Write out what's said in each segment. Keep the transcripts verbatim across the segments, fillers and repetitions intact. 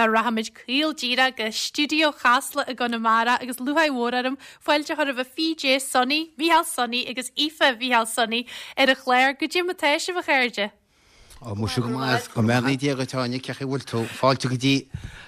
ná rachaimid caol díreach go stiúideo Chasla i gConamara agus lúcháir mhór orm fáilte a chur roimh PJ Sonny, Mícheál Sonny agus Aoife Mhícheál Sonny ar an chlár goidé mar atá sibh a chairde. Ó muise go maith go mbeannaí Dia duit Áine cén chaoi a bhfuil tú fáilte go dtí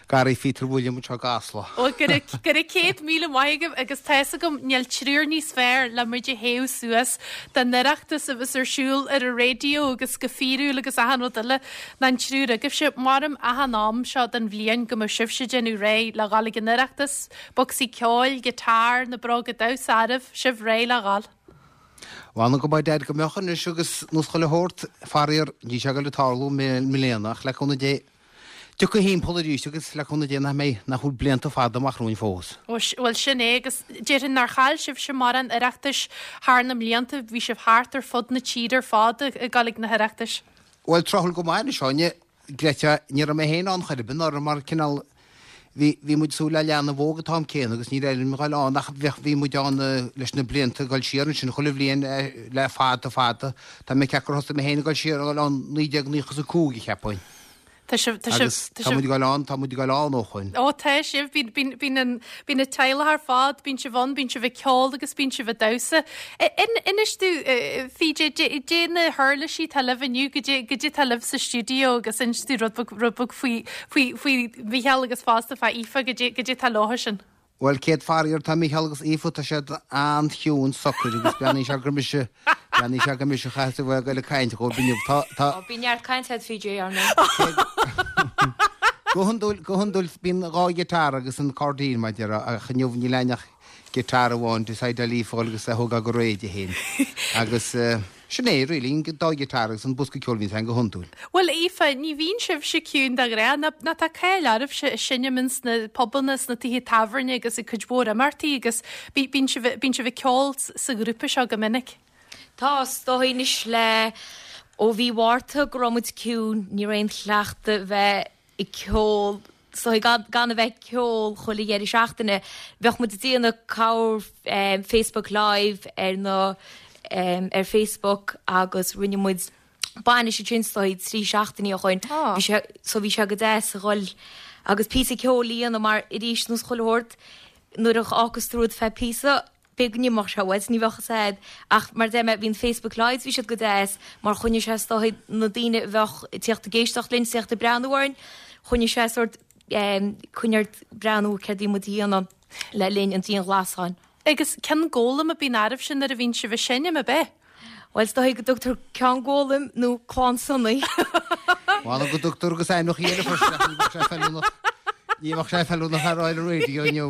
Garraí Phíotair William anseo i gCasla. Ó go raibh céad míle maith agaibh agus tá fhios agam níl triúr níos fearr le muid a théamh suas don Oireachtas a bheas ar siúl ar an raidió agus go fíorúil agus achan rud eile ná an triúr agaibhse maram achan am seo den bhliain go mbeadh sibhse déanamh réidh le dhul ag an Oireachtas, bocsaí ceoil, guitar, na bróga damhsa arbh sibh réidh le dhul. Bhana go dead go mbeoch anois agus nós chuile shórt faraor ní sé go le tarlú i mbliana ach le cúnamh Dé Tiocfaidh thimpeall arís agus le cúnamh Dé nach mbeidh nach bhfuil blianta fada amach romhainn fós. Bhuel sin é agus déarfainn nár chaill sibhse mórán Oireachtais thar na mblianta, bhí sibh thart ar fud na tíre ar fad ag dul ag na hOireachtais. Bhuel tráthúil go maith anois Áine, Greta, ní raibh mé féin ann chor ar bith anuraidh mar cineál bhí bhí muid súil le leanbh óg an t-am céanna agus ní raibh aon ghoil ann ach bheadh bhí muid ann leis na blianta ag dul siar ansin chuile bhliain le fada fada. Tá mé ag ceapadh gur thosaigh mé féin ag dul siar ag dul ann naoi déag naocha is a cúig a cheapfainn. Tá sibh, tá sibh, Agus tá tá sibh. muid ag dul ann, tá muid ag dul ann ó shoin. Ó tá sibh, bíonn bíonn bíonn an bíonn an teaghlach ar fad, bíonn sibh ann, bíonn sibh ag ceol agus bíonn sibh ag damhsa. Inis domh PJ, dé na huirlisí atá libh inniu, goidé goidé atá libh sa stiúideo agus inis domh rud beag rud beag faoi faoi faoi Mhícheál agus fosta fá Aoife, goidé goidé atá leo sin. Bhuel céad faraor tá Mícheál agus Aoife tá siad an-chiúin socair agus beannaíonn sé gur mise beannaíonn sé gur mise a chaithfeas a bheith ag goil ag caint dhóibh inniu. Tá tá Ó bíonn neart cainte a'd PJ ar ndóigh. Go hiondúil go hiondúil bíonn dhá ghiotár agus an cairdín mar a déarfá ach inniu níl aon ach giotár amháin decide Aoife agus a thógáil go réidh di féin. Agus eh, sin é really an dá ghiotár agus an bosca ceoil bhíonn go hiondúil. Bhuel Aoife, ní bhíonn sibhse ciúin de ghnáth, ná ná tá cáil oraibhse ag seinm ins na pubanna sna tithe tábhairne agus ag cuid mhór imeachtaí agus bí- bíonn sibh bíonn sibh ag ceol sa ghrúpa seo go minic. Tá is dóigh anois le ó mhí Mhárta go raibh muid ciúin, ní raibh aon chleachtadh bheith ag ceol so gan, gan a bheith ceol chuile dheireadh seachtaine. Bheadh muid ag déanamh cabhair um, Facebook Live ar na um, ar Facebook agus rinne muid bainis sin stoi trí seachtainí ó shoin. Ah. Bhí sé so bhí sé go deas a dhul agus píosa ceoil a dhéanamh mar arís nós chuile shórt nuair a fhágas tú rud feadh píosa b'fhéidir go n-imeodh sé uait, ní bheadh fhios a'd ach mar deir mé bhíonn Facebook Lives bhí siad go deas mar choinnigh sé is dóigh na daoine a bheadh ag tíocht ag éisteacht linn tíocht ag breathnú orainn choinnigh sé sort um, coinne ort breathnú céard a bhí muid a dhéanamh le linn an dianghlasáin. Agus Ceann Gólaim a bíonn oraibhse nuair a bhíonn sibh ag seinm ab ea. Well is dóigh go dtugtar Ceann Gólaim nó Clann Sonny. Bhana go dtugtar agus ainmneacha eile freisin ach ní bheadh sé feiliúnach ní bheadh sé feiliúnach ar an raidió inniu.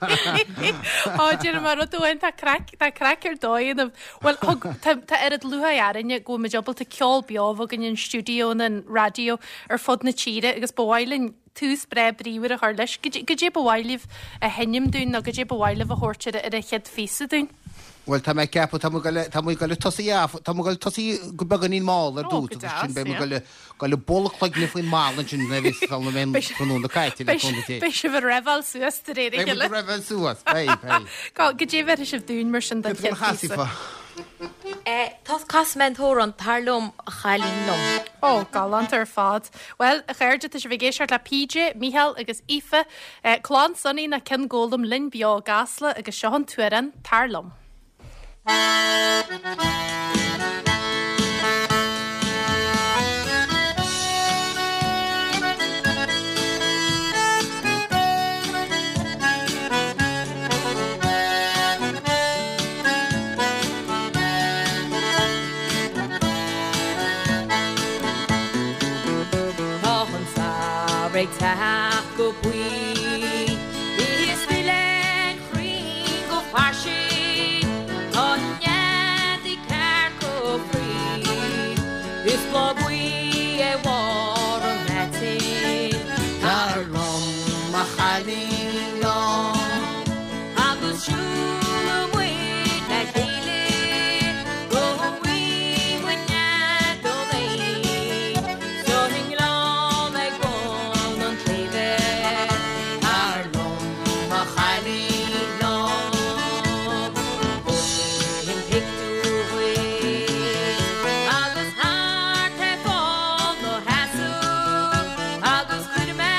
Á deir mar rud amháin tá craic tá craic ar dóigh ionam. Well thug tá tá oiread lúcháir orainne go bhfuil muid ábalta ceol beo a bheith againn in stiúideo an raidió ar fud na tíre agus ba mhaith linn tús breá bríomhar a chur leis. Goidé ba mhaith libh a sheinm dúinn nó goidé ba mhaith libh a thabhairt ar ar an chéad phíosa dúinn. Well tá mé ceapadh tá tá mu go tosaí tá mu go tosaí go beagáinín mall ar Ó, dtús go agus sin deas, be yeah. go go le bolla cloigne faoin mall sin na bhí mé na caite le cúnamh Dé. Beidh sibh ag reveáil suas de réir a Beidh chéile. reveáil suas, beidh, beidh. Go goidé a bheirfidh sibh dúinn mar sin den Cad chéad phíosa. chasfaí? Eh, Tá casfaidh mé an t-amhrán tar liom a chailín liom. Ó, galánta ar fad. Well, a chairde tá sibh ag éisteacht le PJ, Mícheál agus Aoife, eh, Clann Sonny na Ceann Gólaim linn beo i gCasla agus seo an t-amhrán tar liom. Tá an samhradh ag teacht go buí Is duine chruinn go fairsing Tá neadaí ceart go frí Is bláth buí é bharr an aitinn Tar liom a chailín liom. Agus siúlfaidh muid le chéile go bhfaighidh muid nead an éin Sa ngleann ag bun an tsléibhe Tar liom a chailín liom. An pictiúr agus thart ar fán ó sheasamh agus chuir mé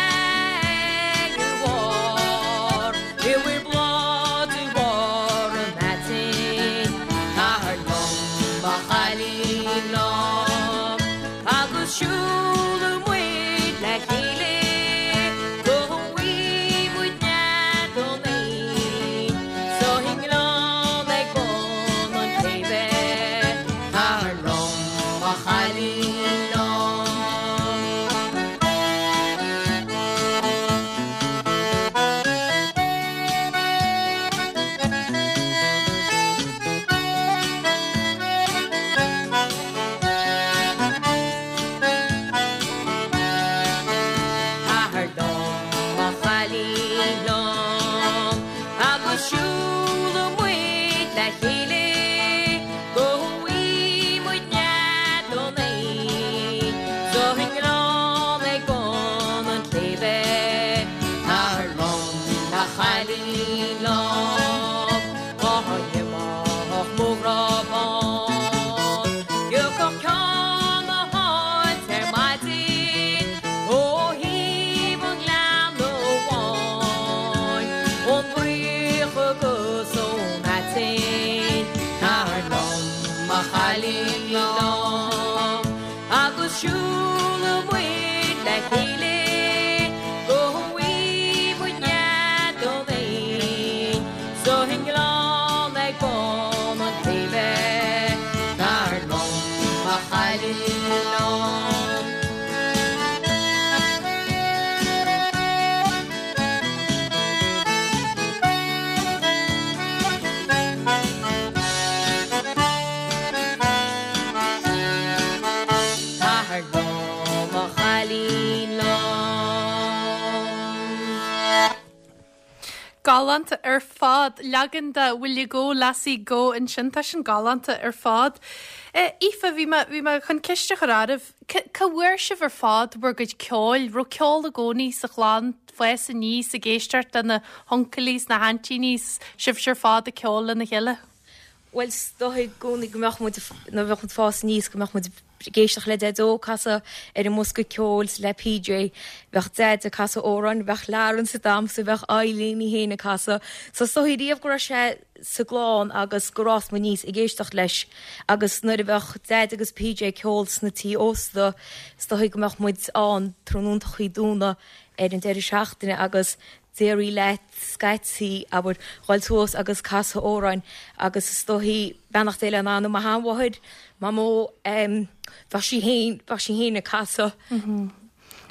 Galánta ar fad leagan de Will You Go Lassie Go ansin tá sin galánta ar fad. Aoife bhí bhí mé chun ceist a chur oraibh Cá bhfuair sibh ar fad bhur gcuid ceoil, raibh ceol i gcónaí sa chlann fás aníos ag éisteacht le na huncailí na haintíní sibh ar fad ag ceol lena chéile. Well is dóigh i gcónaí go mbeadh muid nuair a bheadh muid fás aníos go mbeadh muid ag éisteacht le Deaideo ag casadh ar an mbosca ceoil le PJ, bheadh Deaid ag casadh amhráin, bheadh Lawrence ag damhsa, bheadh Eileen í féin ag casadh. So is dóigh riamh go raibh sé sa gclann agus gur fhás muid aníos ag éisteacht leis agus nuair a bheadh Deaid agus PJ ag ceol sna tí ósta is dóigh go mbeadh muid ann tráthnóntachaí Domhnaigh ar an deireadh seachtaine agus d'éirigh leat scaití abair dhul suas agus casadh amhráin agus is dóigh beannacht Dé lena anam mo sheanmháthair, Mamó, bheadh sí féin, bheadh sí féin ag casadh.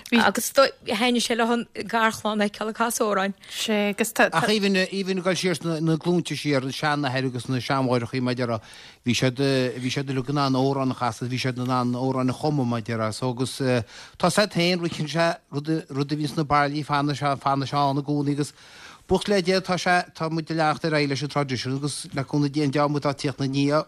Agus thaitnigh sé le an garchlann a fheiceáil ag casadh amhráin. Sé agus tá. Ach even even ag dul siar sna na glúnta siar, na seanathair agus na seanmháithreachaí mar a déarfá, bhí siad bhí siad uilig in ann amhrán a chasadh, bhí siad in ann amhráin a chumadh mar a déarfá. So agus tá 's agat féin, ritheann sé rud rud a bhíonn sna bairillí fanann sé fanann sé ann i gcónaí agus buíochas le Dia tá sé tá muid ag leanacht ar aghaidh leis an traidisiún agus le cúnamh Dé an dream atá ag tíocht ina ndiaidh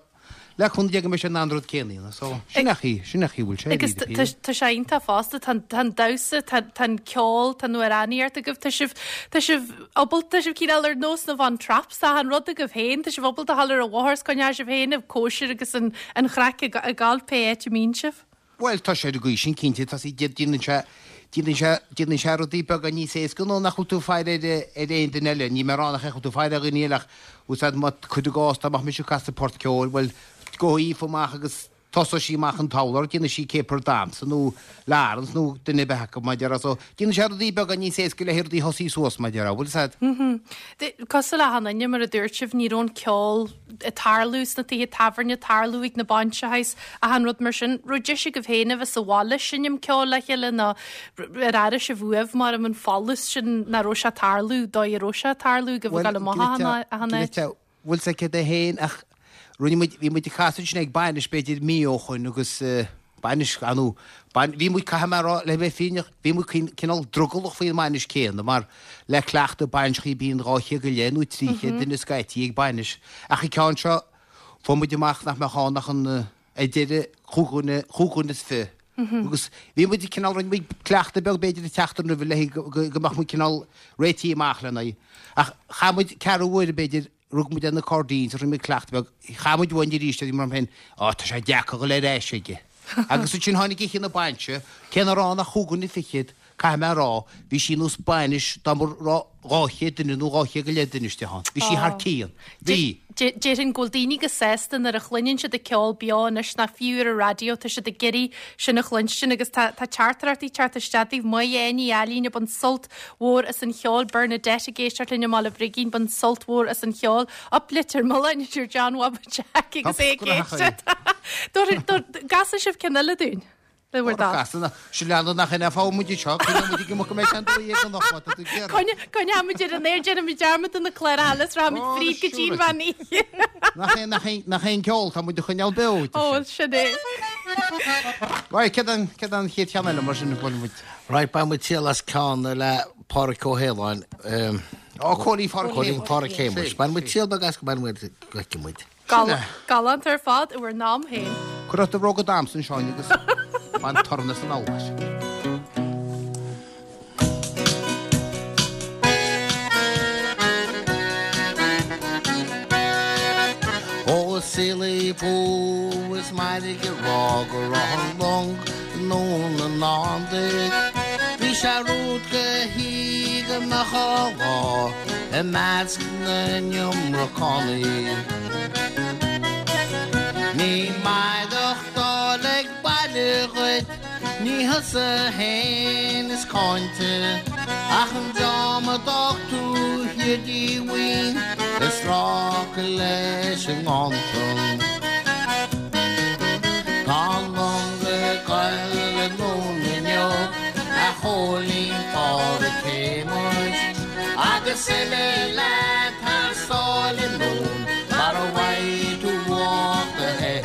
Le cúnamh Dé go mbeidh sé in ann an rud céanna a dhéanamh. So, sin é an chaoi, sin é an chaoi a bhfuil sé. Agus tá sé iontach fosta, tá an damhsa, tá an ceol, tá an amhránaíocht agaibh, tá sibh, tá sibh ábalta, tá sibh cineál ar nós na Von Trapps, tá an rud agaibh féin, tá sibh ábalta a dhul ar an bhóthar is coinneoidh sibh féin ag cóisir agus an an chraic ag gabháil pé áit a mbíonn sibh. Bhuel, tá sé ar an gcaoi sin cinnte, tá sí, déanann sé, déanann sé, déanann sé rudaí beaga níos éasca nó nach bhfuil tú ag faire ar, ar aon duine eile, níl mé ag rá nach bhfuil tú ag faire ar dhaoine eile ach, úsáid, má, cuir i gcás, dá mbeadh mise ag casadh port ceoil, bhuel, Gabhfaidh Aoife amach agus tosóidh sí amach an t-urlár, déanfaidh sí caper damhsa nó Laurence nó duine ar bith acu, mar a déarfá. So, déanann sé rudaí beaga níos éasca le rudaí thosaí suas, mar a déarfá, bhfuil 'fhios a'd? Cosúil le achan duine, mar a dúirt sibh, ní raibh an ceol ag tarlú sna tithe tábhairne, ag tarlú ag na bainseacha is achan rud mar sin. Raibh deis agaibh féin a bheith sa bhaile seinm ceoil le chéile nó ar airigh sibh uaibh mar an folús sin nach raibh sé ag tarlú, dóigh a raibh sé ag tarlú agaibh ag dul amach achan áit? Bhfuil 'fhios a'd céard é féin ach rinne muid, bhí muid ag casadh ansin ag bainis b'fhéidir mí ó shoin agus bainis, ar ndóigh, bain, bhí muid, caithfidh mé a rá, le bheith fírinneach, bhí muid cineál drogallach faoin mbainis céanna mar le cleachtadh bainiseachaí bíonn dhá chéad go leith nó trí chéad duine scaití ag bainis ach an ceann seo fuair muid amach nach mbeadh ann ach an ar deireadh chúig dhuine, chúig dhuine is fiche. Agus bhí muid cineál, rinne muid cleachtadh beag b'fhéidir an tseachtain roimhe le go, go mbeadh muid cineál réitithe amach lena aghaidh. Ach chaith muid ceathrú uaire b'fhéidir, rug muid ar na cairdíní rinne muid cleachtadh beag, chaith muid uainn arís a bhí mar féin, á tá sé deacair dhul ar ais aige. Agus ansin tháinig oíche na bainse, cé nach raibh ann ach chúig dhuine fichead, caithfidh mé a rá, bhí sí nós bainis dá mba raibh dhá chéad duine nó dhá chéad go leith duine istigh ann. Bhí sí thar cionn. Bhí. Déarfainn go bhfuil daoine go sásta nuair a chluineann siad an ceol beo anois nach fiú ar an raidió, tá siad ag iarraidh sin a chluinstin agus tá tá teachtaireachtaí ag teacht isteach daoibh. Maith Áine, Ailín ag baint sult mhór as an cheol, Bernadette ag éisteacht linn i mBaile Brigín, baint sult mhór as an cheol, up Leitir Mealláin a deir John Bhaba Jack agus é ag éisteacht. Casfaidh sibh ceann eile dúinn. Le bhur dtoil. Sin leanadh nach ina fág muid anseo, coinneoidh muid ag imeacht go mbeidh sé an dó dhéag anocht má tá tú ag iarraidh. Coinneoidh ar an aer, déanfaimid dearmad de na cláracha eile is rachaimid fríd go dtí an mheán oíche. Nach é, nach é, nach é an ceol, tá muid a choinneáil beo. Ó, sin é. Right, céard an, céard an chéad cheann eile mar sin a bhfuil muid? Right, bainfidh muid triail as ceann le Pádraic Ó hAoláin. Ó, Cóilín Phádraic Cóilín Phádraic Shéamuis. Bainfidh muid triail beag as go mbainfidh muid, go bhfeicfidh muid. Galánta ar fad i bhur n-am féin. Cuir ort do bhróga damhsa ansin agus bain torann as an amhais. Ó a saolaí bhú is mairg a rá go raibh an long i ndún na ndán duit. Bhí sé rud go hí go mbeadh á lá i measc na n-iomracánaí. Ní maireachtáil ag baile dhuit, ní thusa fhéin is cáinte, ach an dream a d'fhág tú thiar díomhaoin ag strácáil leis an nganntan. Tá an long ag goil i ndún inniu, a Chóilín Phádraic Shéamuis, agus imigh leat thar sáile i ndún mar a bhfaighidh tú ucht do shaothair.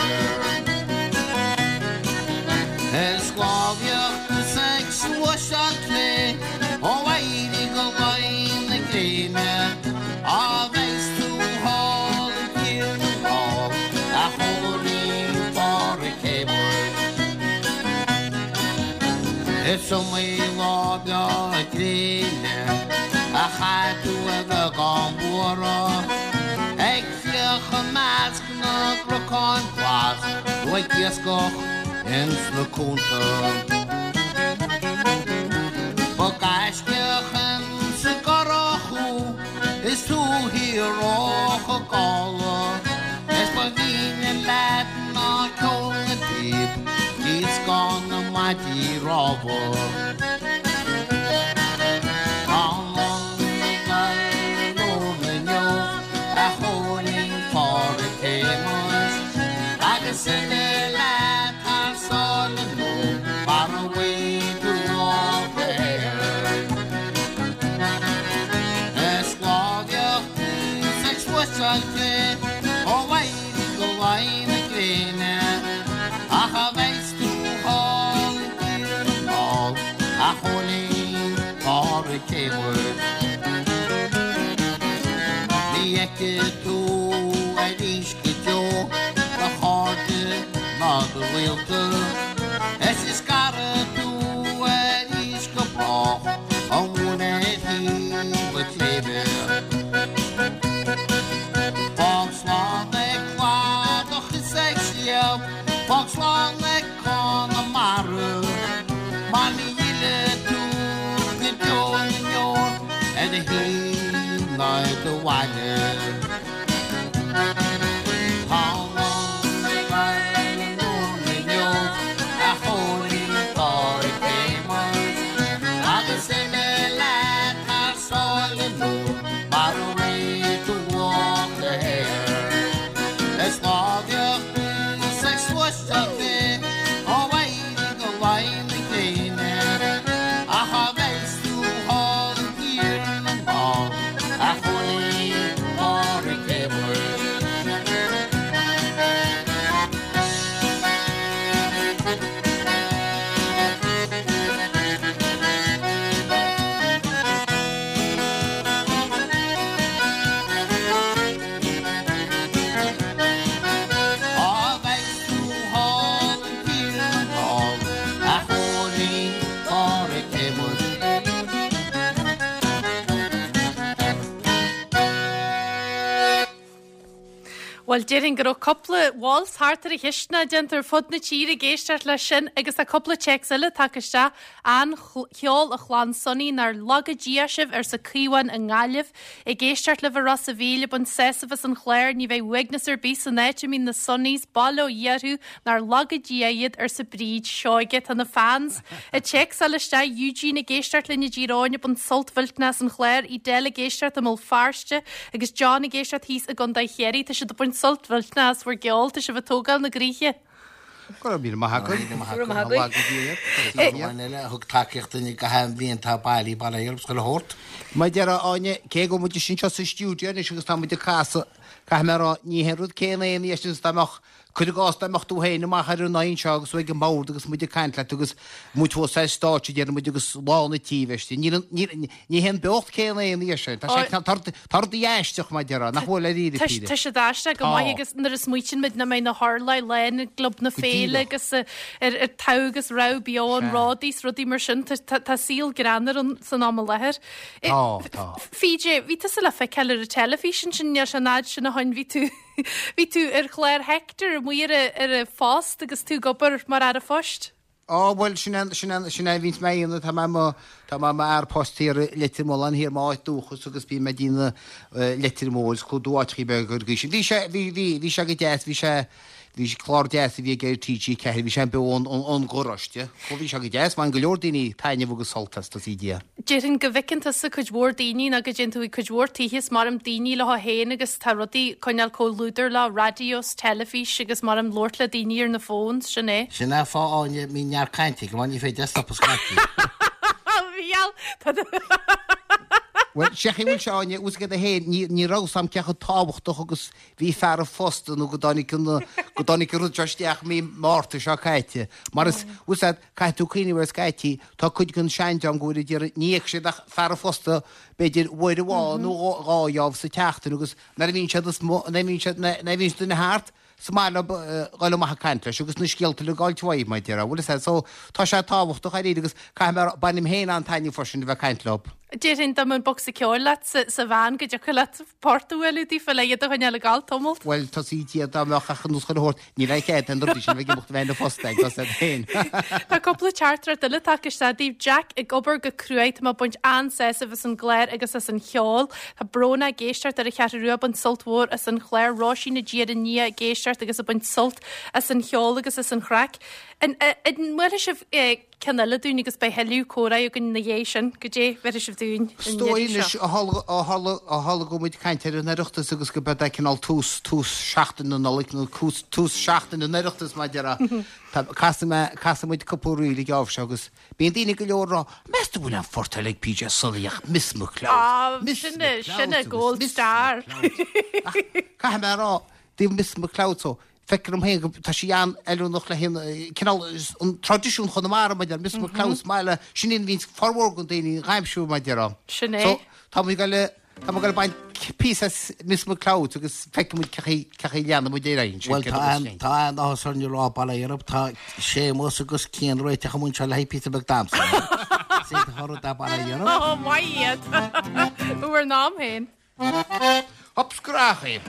Ar sclábhaíocht is ag sluaiseáil clé ó éirí go luí na gréine, Is iomaí lá breá gréine a chaith tú ar bheagán buartha, ag fiach i measc na gcnocán glas nó ag iascach ins na cuanta. Ba gaiscíoch ins an gcurach thú is tú thiar ó Choill Dála, is ba mhíne leat ná ceol na bpíob díoscán na maidí rámha. Tá an long ag dul anonn inniu, a Chóilín Pháraic Shéamais, agus imigh leat thar sáile nó mar a bhfaighidh tú luach a shaothair. Is lá a bheadh tusa ag sluaisteáil cré ó éirí go luí na gréine, ach cha bheas tú thall i dTír na nGall, a Chóilín Pháraic Shéamais. Ní fheicfidh tú arís go deo do chairde ná do ghaolta, is ní scarfaidh tú arís go brách ón mhóin ar thaobh an tsléibhe. Fág slán ag cladach is ag sliabh, fág slán ag Conamara, mar ní fhillfidh tú go deo na ndeor ar do thigh ná ar do bhaile. Tá an long ag dul anonn inniu, a Chóilín Pháraic Shéamais, agus imigh leat thar sáile nó mar a bhfaighidh tú luach do shaothair. Is lá a bheadh tusa ag sluaisteáil cré ó éirí go luí na gréine, ach cha bheas tú thall i dTír na nGall, a Chóilín Pháraic Shéamais. Cha bheas tú thall i dTír na nGall, a Chóilín Pháraic Shéamais. Bhuel, déarfainn go raibh cúpla waltz thart ar an chisteanach déanta ar fud na tíre ag éisteacht leis sin agus tá cúpla téacs eile tagtha isteach. An-cheol a chlann Sonaí nár laga Dia sibh arsa Caomhán i nGaillimh. Ag éisteacht libh i Ros a' Mhíl ag baint sásamh as an chlár, ní bheidh uaigneas ar bith san áit a mbíonn na Sonnies, bail ó Dhia orthu, nár laga Dia iad arsa Bríd Seoige. Tá na fans ag téacsáil isteach, Eugene ag éisteacht linn i dTír Eoghain ag baint sult mhillteanach as an chlár, Edel ag éisteacht i mBéal Feirste agus John ag éisteacht thíos i gContae Chiarraí. Tá siad ag baint sult mhillteanach as bhur gceol, tá sibh ag tógáil na gcroíthe. Go raibh míle maith agat. Go raibh maith agat. Eile a thug tacaíocht duine go haon bhliain tá bailí bail ó Dhia orthu chuile shórt. Mar a deir Áine, cé go bhfuil muid anseo sa stiúideo anois agus tá muid ag casadh, caithfidh mé a rá, ní haon rud céanna é anois is dá mbeadh, cuir i gcás dá mbeadh tú féin amach ar an aghaidh anseo agus tú ag an mbord agus muid ag caint leat agus muid thuas ar stáitse deir muid agus lán an tí istigh. Ní ní ní haon beocht céanna é anois sin. Tá sé tá tá rudaí aisteach mar a déarfá, nach bhfuil ar iarraidh Tá Peter. tá siad aisteach go maith Tá. agus nuair a smaoitíonn muid nach mbeidh na hurláir lán i gClub na Go Féile díreach. agus eh, ar ar togha agus rogha beo an Sea. Ródaí is rudaí mar sin tá tá- tá saol greannmhar an san am i láthair. Eh, Tá, tá. PJ, bhí tusa le feiceáil ar an teilifís ansin níl sé an fhad sin ó shin bhí tú bhí tú ar chlár Hector amuigh ar a- ar an phost agus tú ag obair mar fhear an phoist. Á bhuel sin é sin é sin é bhíonns mé a dhéanamh tá mé mo tá mé mo fhear post thiar i Leitir Mealláin thiar m'áit dúchas agus bím ag déanamh Leitir Móir is clúdú áiteachaí beaga ar an gcaoi sin. Bhí sé bhí bhí bhí sé go deas bhí sé bhí sé clár deas a bhí ag ar TG ceathair bhí sé beo ón ón ón gcoláiste. Chomh bhí sé go deas bhain go leor daoine taitneamh agus sult as tá sí Dia. Déarfainn go bhfeiceann tusa cuid mhór daoine nó go dtéann tú i cuid mhór tithe is maram daoine leo féin agus tá rudaí coinneáil comhluadar le raidió 's teilifís agus maram labhairt le daoine ar na phones sin é. Sin é fáth Áine mbíonn neart cainte go ní féidir stop a scaití. Bhíal Well sé bhfuil sé Áine ús go héin ní ní raibh sam cecha tábhachtach agus bhí fear an phost nó go dtáinig an go dtáinig an rud seo isteach mí Márta seo caite. Mar is úsáid caithfidh tú cuimhneamh ar scaití tá cuid den seandream go bhfuil idir ní íoc siad ach fear an phosta b'fhéidir uair amháin nó dhá dheábh sa tseachtain agus nuair a bhíonn siad is mo nuair a bhíonn siad nuair a bhíonn siad duine thart Is maith leo dhul amach ag caint leis agus na scéalta le gabháilt uaidh, mar a déarfá, bhfuil fhios a'd. So, tá sé tábhachtach dáiríre agus caithfidh mé a rá, bainim féin an-taitneamh freisin a bheith ag caint leo. Déarfainn dá mbeadh an bocsa ceoil leat sa sa veain go dtiocfadh leat port a bhualadh daofa le iad a choinneáil ag gabháil tamalt. Bhuel, tá sí dia dá mbeadh ach an nós chuile shórt, níl aon chead an rudaí sin a bheith ag imeacht a bheith ina phost ag, tá fhios a'd féin. Tá cúpla teachtaireacht eile tagtha isteach daoibh. Jack ag obair go cruaidh, tá mé ag baint an-sásamh as an gclár agus as an cheol. Tá Bróna ag éisteacht ar an Cheathrú Rua, ag baint sult mhór as an chlár. Róisín i dTír an Fhia ag éisteacht agus ag baint sult as an cheol agus as an chraic. An mbuailfidh sibh ceann eile dúinn agus beidh thuilleadh comhrá againn ina dhiaidh sin? Goidé bhéarfaidh sibh dúinn Is dóigh anois ó tharla go bhfuil muid ag caint ar an Oireachtas agus go b'é cineál tús, tús seachtain na Nollag nó tús seachtain an Oireachtais mar a déarfá. Casfaidh mé, casfaidh muid cúpla ríl ag geábh seo agus bíonn daoine go leor ag rá, meas tú bhfuil an phort eile ag PJ Sully ach Miss McCloud, Miss Sin é, McCloud sin é agus gold Miss star. McCloud. Ach caithfidh mé a rá, dtaobh Miss McCloud so, feictear dom féin go, tá sí an-fheiliúnach le haghaidh an cineál, an traidisiún Chonamara maidir le Miss McCloud, is maith le, sin é a bhíonns formhór den daoine ag aimsiú mar a déarfá. Sin é. So, tá muid ag dul, tá muid ag dul ag baint píosa as Miss McCloud agus feicfidh muid cé chaoi, cé chaoi a leanfaidh muid ar aghaidh ansin, Bhuel, céard tá a bheas an, féin. tá an-áthas orainn a rá, bail ó Dhia oraibh, tá Séamus agus Cian réiteach amuigh anseo le haghaidh píosa beag damhsa. Is é do thoradh dá bail ó Dhia oraibh. Ó, maith iad. Bhur n-am féin. Hop scrach é.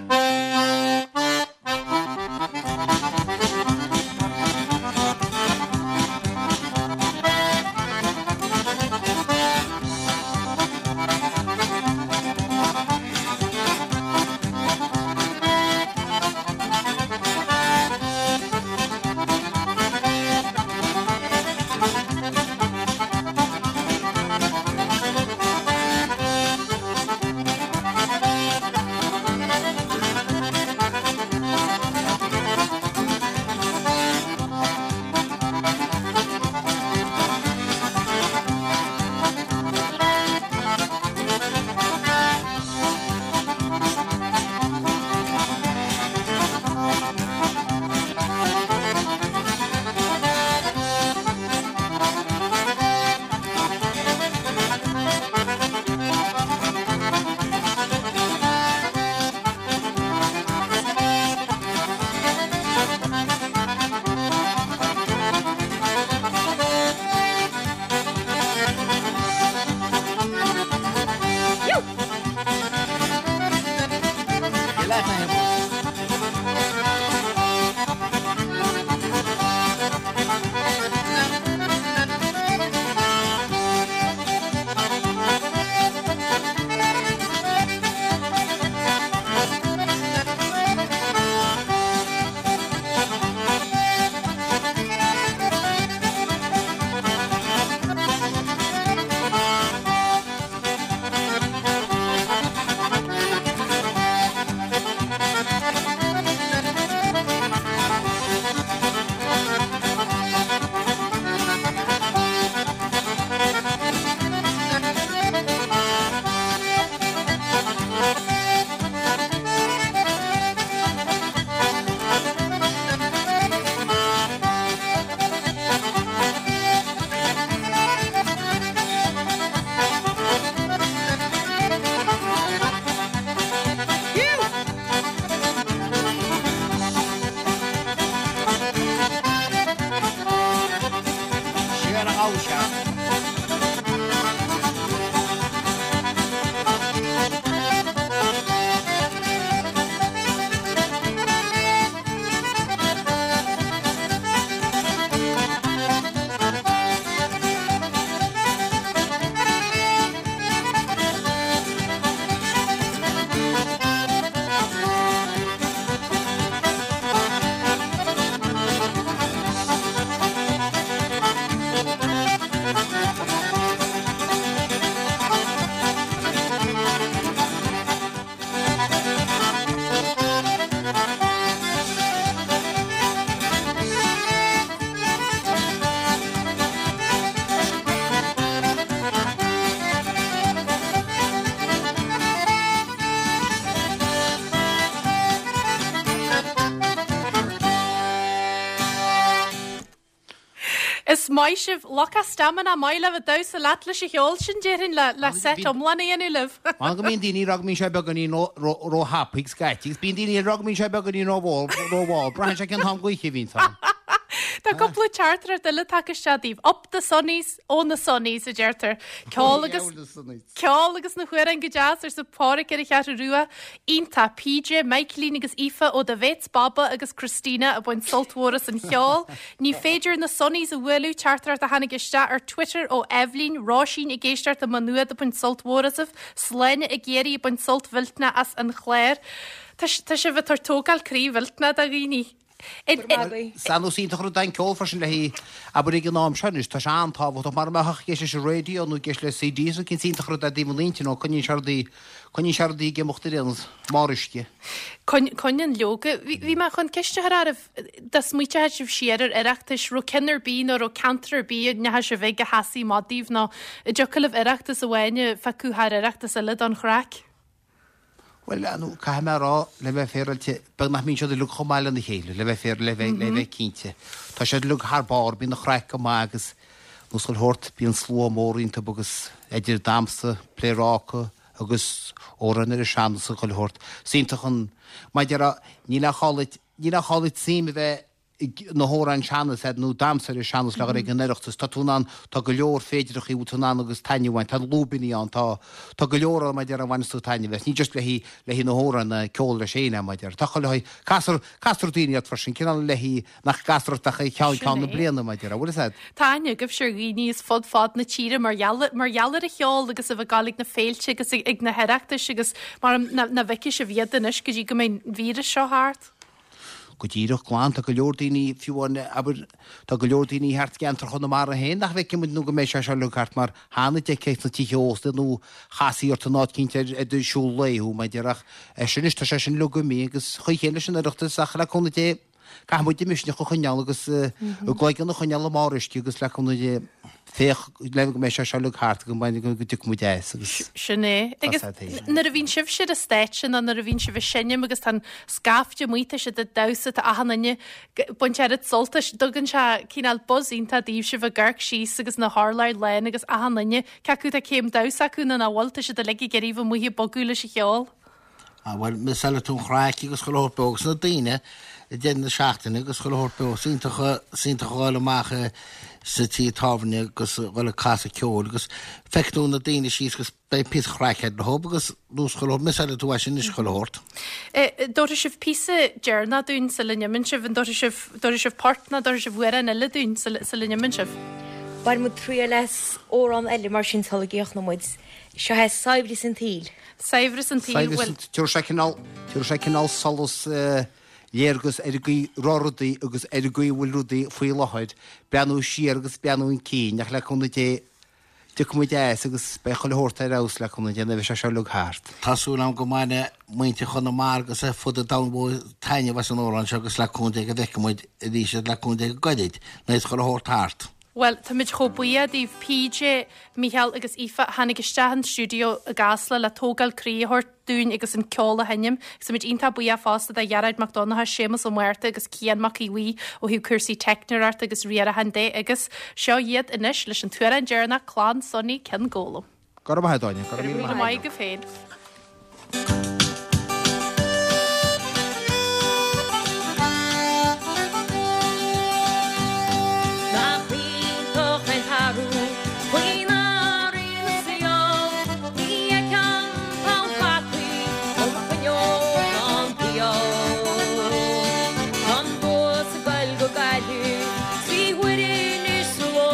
Is maith sibh lucht stamina maith libh ag damhsa leat leis an cheol sin déarfainn le le set iomlán a dhéanamh libh. Mar go mbíonn daoine ag rá go mbíonn sé beagáinín róthapaidh scaití agus bíonn daoine ag rá go mbíonn sé beagáinín rómhall rómhall. Braitheann sé cén t-am d'oíche a bhíonn ann. Tá cúpla teachtaireacht eile tagtha isteach daoibh. Up the Sonnies ó na Sonnies a deirtear. Ceol agus Ceol agus na hamhráin go deas arsa Pádraic ar an Cheathrú Rua. Iontach PJ, Michaelín agus Aoife ó do Bhéits Baba agus Christina ag baint sult mhór as an cheol. Ní féidir na Sonnies a bhualadh teachtaireacht a tháinig isteach ar Twitter ó Eibhlín, Róisín ag éisteacht i Maigh Nuad ag baint sult mhór asaibh, Sláine i gCiarraí ag baint sult mhillteanach as an chlár. Tá sibh ag tabhairt tógáil croí mhillteanach do dhaoine. San is iontach rud é an ceol freisin le haghaidh, abair ag an am seo anois, tá sé an-tábhachtach mar a mbeadh ag éisteacht leis an raidió nó ag éisteacht le CD is cinn is iontach rud é i dtaobh an intinn nó coinníonn sé rudaí, coinníonn sé rudaí ag imeacht ar aon nós, mar uisce. Coinníonn leoga. Bhí mé chun ceist a chur oraibh, dá smaointeodh sibh siar ar Oireachtais, raibh ceann ar bith nó raibh ceantar ar bith a ndeachaigh sibh ag a sheasaigh amach daoibh nó an dtiocfadh libh Oireachtas amháin a phiocadh thar Oireachtas eile don chraic? Bhuel, nó caithfidh mé a rá, le bheith féaráilte, beag nach mbíonn siad uilig chomh maith lena chéile, le bheith féar, le bheith, le bheith cinnte. Tá siad uilig thar barr, bíonn an chraic go maith agus nós chuile shórt, bíonn slua mór iontu agus idir damhsa, pléaráca agus amhráin ar an sean-nós agus chuile shórt. Is iontach an, mar a déarfá, níl aon chall duit, níl aon chall duit suim a bheith na hamhráin sean-nós nó damhsa ar an sean-nós le dhul ag an Oireachtas. Tá tú in ann, tá go leor féidireachtaí a bhfuil tú in ann agus taitneamh a bhaint, tá lúibíní ann, tá, tá go leor ann mar a déarfá a bhaineas tú taitneamh as. Ní just le haghaidh, le haghaidh na hamhráin, na ceol leis féin é mar a déarfá. Tá chuile haghaidh, castar, castar daoine ort freisin, cineál le haghaidh nach gcastar ort ach ceann, ceann na bliana mar a déarfá. Bhfuil fhios a'd? Tá aithne agaibhse ar dhaoine as fud fad na tíre mar gheall, mar gheall ar an cheol agus a bheith ag gabháil ag na féilte agus ag, ag na hOireachtais agus mar nach, nach bhfeicfidh sibh iad anois go dtí go mbeidh an víreas seo thart. Go díreach glan, tá go leor daoine, fiú amháin, abair, tá go leor daoine thart i gceantar Chonamara féin nach bhfeicfidh muid nó go mbeidh sé seo uilig thart mar cheana d'fheicfeá sna tithe ósta nó chasfaí ort in áit eicínt ar ar do shiúl lae thú, mar a déarfá, ach é sin anois, tá sé sin uilig imithe agus chaoi chéanna leis an Oireachtas ach le cúnamh Dé, caithfidh muid an misneach a choinneáil agus an gcloigeann a choinneáil i mbarr uisce agus le cúnamh Dé, féach le go mbeidh sé seo uilig thart go mbeidh go dtiocfaidh muid as agus Sin é. Agus nuair a bhíonn sibhse ar an stáitse nó nuair a bhíonn sibh ag seinm agus tá an scaifte amuigh, tá siad ag damhsa, tá achan duine ag baint oiread sult as, tugann sé cineál buzz iontach daoibh sibh ag amharc síos agus na hurláir lán agus achan duine, cé acu tá céim damhsa acu nó nach bhfuil, tá siad uilig ag iarraidh bheith amuigh ag bogadh leis an cheol. Ah, bhuel, measáil tú an chraic agus chuile shórt beo agus na daoine ag deireadh na seachtaine agus chuile shórt beo. Is iontach, is iontach a dhul amach sa tí tábhairne agus a dhul ag casadh ceoil agus feiceann tú na daoine síos agus beidh píosa chraic agat leo agus nós chuile shórt. Measáil tú é sin anois chuile shórt. Eh, dtabharfaidh sibh píosa deireanach dúinn sula n-imíonn sibh, an dtabharfaidh sibh, dtabharfaidh sibh port nó dtabharfaidh sibh amhrán eile dúinn sula, sula n-imíonn sibh? Beidh muid triail as amhrán eile mar sin sula gcríochnóidh muid. Seo é Saibhreas an tSaoil. Saibhreas an tsaoil, bhuel. Tabharfaidh sé cineál, tabharfaidh sé cineál solas, léargas ar an gcaoi a raibh rudaí agus ar an gcaoi a bhfuil rudaí faoi láthair, breathnú siar agus breathnú chun cinn, ach le cúnamh Dé, tiocfaidh muid as agus beidh chuile shórt ar fheabhas le cúnamh Dé nuair a bheidh sé seo uilig thart. Tá súil agam go mbainfidh muintir Chonamara agus ar fud an domhain mhóir taitneamh as an amhrán seo agus le cúnamh Dé go bhfeicfidh muid arís iad le cúnamh Dé go gairid nuair is chuile shórt thart. Bhuel, táimid chomh buíoch daoibh, PJ, Mícheál agus Aoife, a tháinig isteach an stiúideo i gCasla le tógáil croí a thabhairt dúinn agus an ceol a sheinm. Agus táimid iontach buíoch fosta de Ghearóid Mac Donncha, Séamus Ó Márta agus Cian Mac Aodha Bhuí ó thaobh cúrsaí teicneoireachta agus riaracháin de. Agus seo iad anois leis an t-amhrán deireanach, Clann Sonaí Cionn Gólaim. Go raibh maith agat, Áine. Go raibh míle maith agaibh féin. Nach iontach an t-athrú faoin athrú na saol, ní fheicim poll fataí ó mo chuinneog ná an diabhal. Tá an bus ag goil go Gaillimh trí huaire anois sa ló,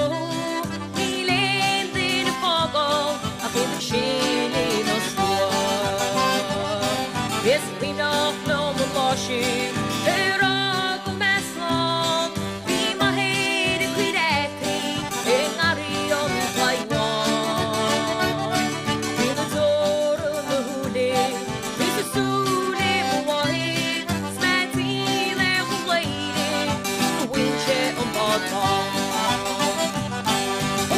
níl aon duine ag fágáil ach iad ag sileadh na slua. Is cuimhneach liom an lá sin ar fhág mé slán, bhí m'athair ag cur fhataí i ngarraí an chabháin. Bhí na deora i mo shúile is i súile mo mháthar, 's mé tinn ar mo bhladhaire gur bhain sé an bád bán.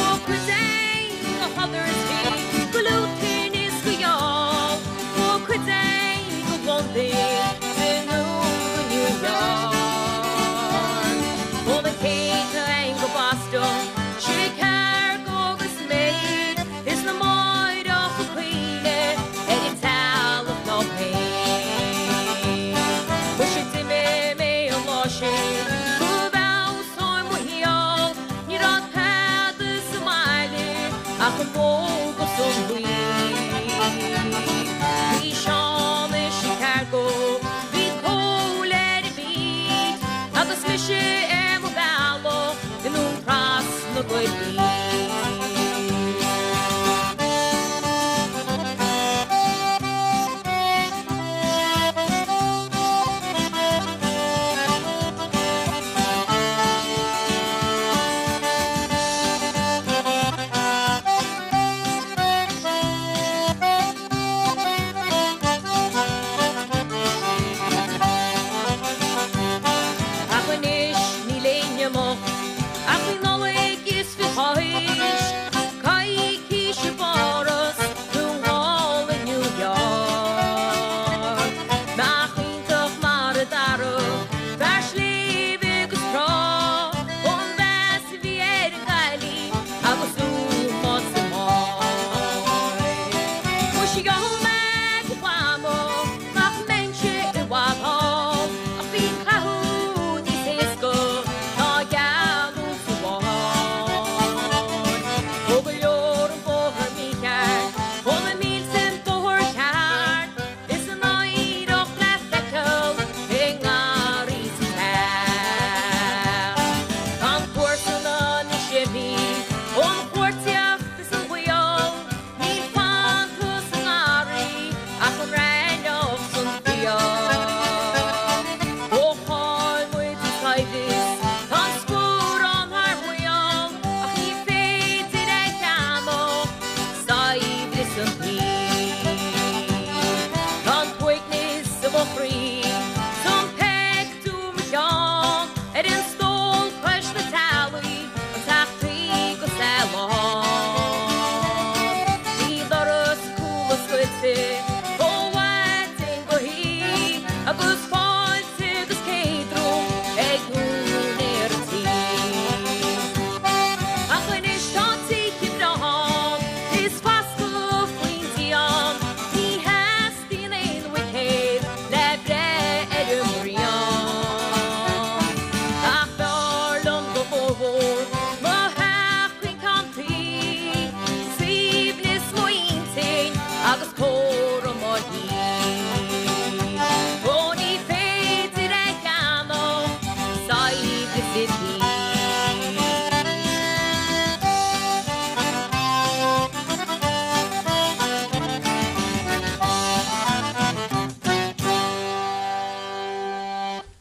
Ó cuid againn go Huddersfield, go Luton is go Youghal, ó cuid againn go Londain, den Sheol mé go Mhamó nach mbeinnse i bhfad thall, ach bíonn cathú níos éasca ná gealú sa bhád. Ó go leor an bóthar mícheart, ó na mílte an bóthar ceart, is an oidhreacht le feiceáil i ngarraí sa teach. Tá an comharsana níos imithe ón chuartaíocht is an baol, níl fanta sa ngarraí ach an raithneach 's an fiach. Ó chaill muid an saibhreas, tá an scórán thar maoil, ach ní féidir é cheannach, saibhreas an tsaoil. Tá an t-uaigneas i mo chroí, 's an pictiúr mo cheann, ar an stól cois na teallaí, an teach tuí go lán. Bhí doras cúl oscailte ó mhaidin go hoíche, agus fáilte agus céadromh ag úinéir an tí. Ach anois tá tithe breátha ann, is fascadh faoin díon, ní theastaíonn aon bhuicéad le breith ar an mbraon. Ach b'fhearr liom go mórmhór mo theach caoin ceann tuí, suaimhneas m'intinn agus cóir